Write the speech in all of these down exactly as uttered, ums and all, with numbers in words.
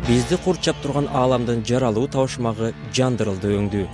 Бизди курчап турган ааламдын жаралуу табышмагы жандырылды өңдүү.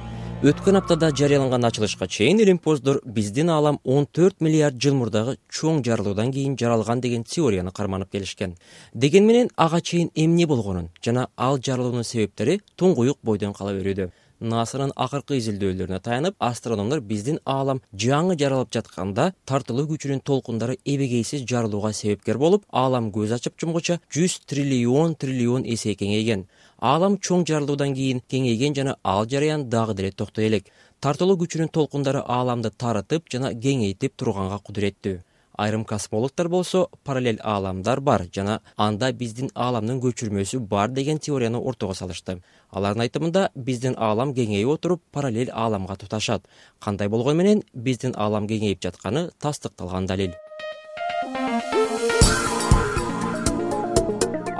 Өткөн аптада жарыяланган ачылышка чейин илимпоздор биздин аалам он төрт миллиард жыл мурдагы чоң жарылуудан кийин жаралган деген теорияны карманып келишкен. Деген менен ага чейин эмне болгонун жана ал жарылуунун себептери туңгуюк бойдон кала берүүдө. НАСАнын акыркы изилдөөлөрүнө таянып, астрономдор биздин аалам жаңы жаралып жатканда тартылуу күчүнүн толкундары эбегейсиз жарылууга себепкер болуп, аалам көз ачып жумгуча жүз триллион триллион эсе кеңейген. Аалам чоң жарылуудан кийин кеңейген жана ал жараян дагы деле токтой элек. Тартылуу күчүнүн толкундары ааламды тарытып жана кеңейтип турганга кудуреттүү. Айрым космологдор болсо параллель ааламдар бар жана анда биздин ааламдын көчүрмөсү бар деген теорияны ортого салышты. Алардын айтымында биздин аалам кеңейип отуруп параллель ааламга туташат. Кандай болгону менен биздин аалам кеңейип жатканы тастыкталган далил.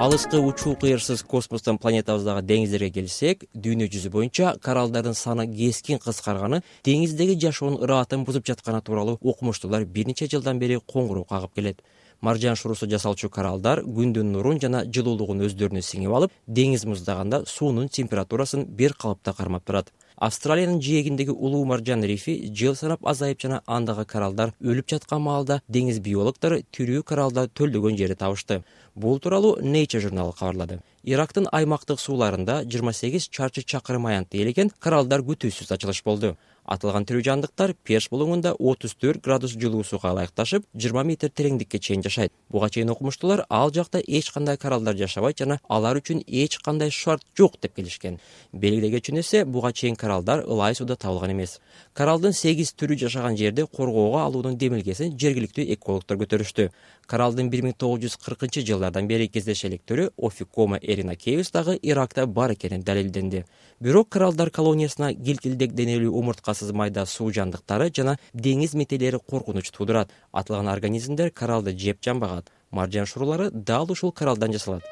Алыскы учуу кыйырсыз космостон планетабыздагы деңиздерге келсек, дүйнө жүзү боюнча кораллдардын саны кескин кыскарганы деңиздеги жашоонун ыраатын бузуп жатканы тууралуу окумуштуулар бир нече жылдан бери коңгуроо кагып келет. Маржан шуруусу жасалчу кораллдар күндүн нурун жана жылуулугун өздөрүнө сиңип алып, деңиз муздаганда суунун температурасын бир калыпта кармап турат. Австралиянын жээгиндеги улуу маржан рифи жыл санап азайып жана андагы кораллдар өлүп жаткан маалда деңиз биологдору тирүү кораллдар төлдөгөн жерди табышты. Бул тууралуу Nature журналы кабарлады. Ирактын аймактык сууларында жыйырма сегиз чарчы чакырым аянтты ээлеген кораллдар күтүүсүз ачылыш болду. Атылган тирүү жандыктар Перш булуңунда отуз төрт градус жылуу сууга ылайыкташып, жыйырма метр тереңдикке чейин жашайт. Буга чейин окумуштуулар ал жакта эч кандай кораллдар жашабайт жана алар үчүн эч кандай шарт жок деп келишкен. Белгилей кетчү нерсе, буга чейин кораллдар ылай сууда табылган эмес. Кораллдын сегиз түрү жашаган жерди коргоого алуунун демилгесин жергиликтүү экологдор көтөрүштү. Кораллдын бир миң тогуз жүз кыркынчы жылдардан бери кездеше электерү Ophiocoma erinaceus дагы Иракта бар экени далилденди. Бирок кораллдар колониясына килтилдек денелүү умурткасыз майда суу жандыктары жана деңиз метелери коркунуч туудурат. Атылган организмдер кораллды жеп жанбагат. Маржан шуруулары дал ушул кораллдан жасалат.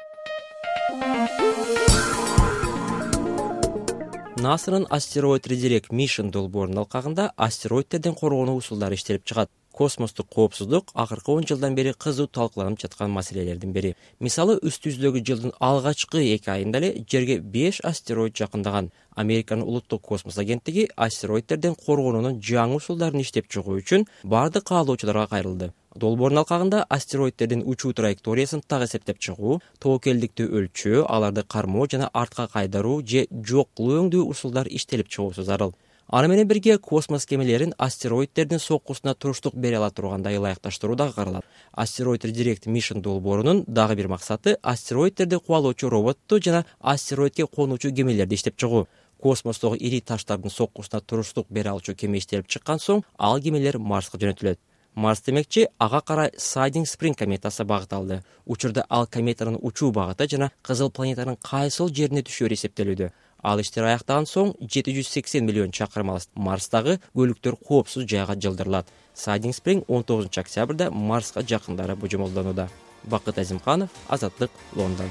НАСАнын астероид Redirect Mission долбоорунун алкагында астероидтерден коргонуу усулдары иштелип чыгат. Космостук коопсуздук акыркы он жылдан бери кызуу талкууланып жаткан маселелердин бири. Мисалы, үстү жүздөгү жылдын алгачкы эки айында эле жерге беш астероид жакындаган. Американын улуттук космос агенттиги астероидтерден коргонуунун жаңы усулдарын иштеп чыгуу үчүн бардык каалоочуларга кайрылды. Долбоордун алкагында астероидтердин учуу траекториясын так эсептеп чыгуу, тобокелдикти өлчөө, аларды кармоо жана артка кайдаруу же жок кылуу өңдүү усулдар иштелип чыгуусу зарыл. Аны менен бирге космос кемелерин астероидтердин соккусуна туруштук бере ала тургандай ылайыкташтыруу дагы каралат. Астероид Redirect Mission долбоорунун дагы бир максаты астероидтерди кубалоочу роботту жана астероидке конуучу кемелерди иштеп чыгуу. Космостогу ири таштардын соккусуна туруштук бере алчу кеме иштелип чыккан соң, ал кемелер Марска жөнөтүлөт. Марс демекчи, ага карай Siding Spring кометасы багыт алды. Учурда ал кометанын учуу багыты жана кызыл планетанын кайсыл жерине түшөөрү эсептелүүдө. Ал иштер аяктаган соң жети жүз сексен миллион чакырым алыс Марстагы көлүктөр коопсуз жайга жылдырылат. Siding Spring он тогузунчу октябрда Марска жакындары божомолдонууда. Бакыт Азимканов, Азаттык, Лондон.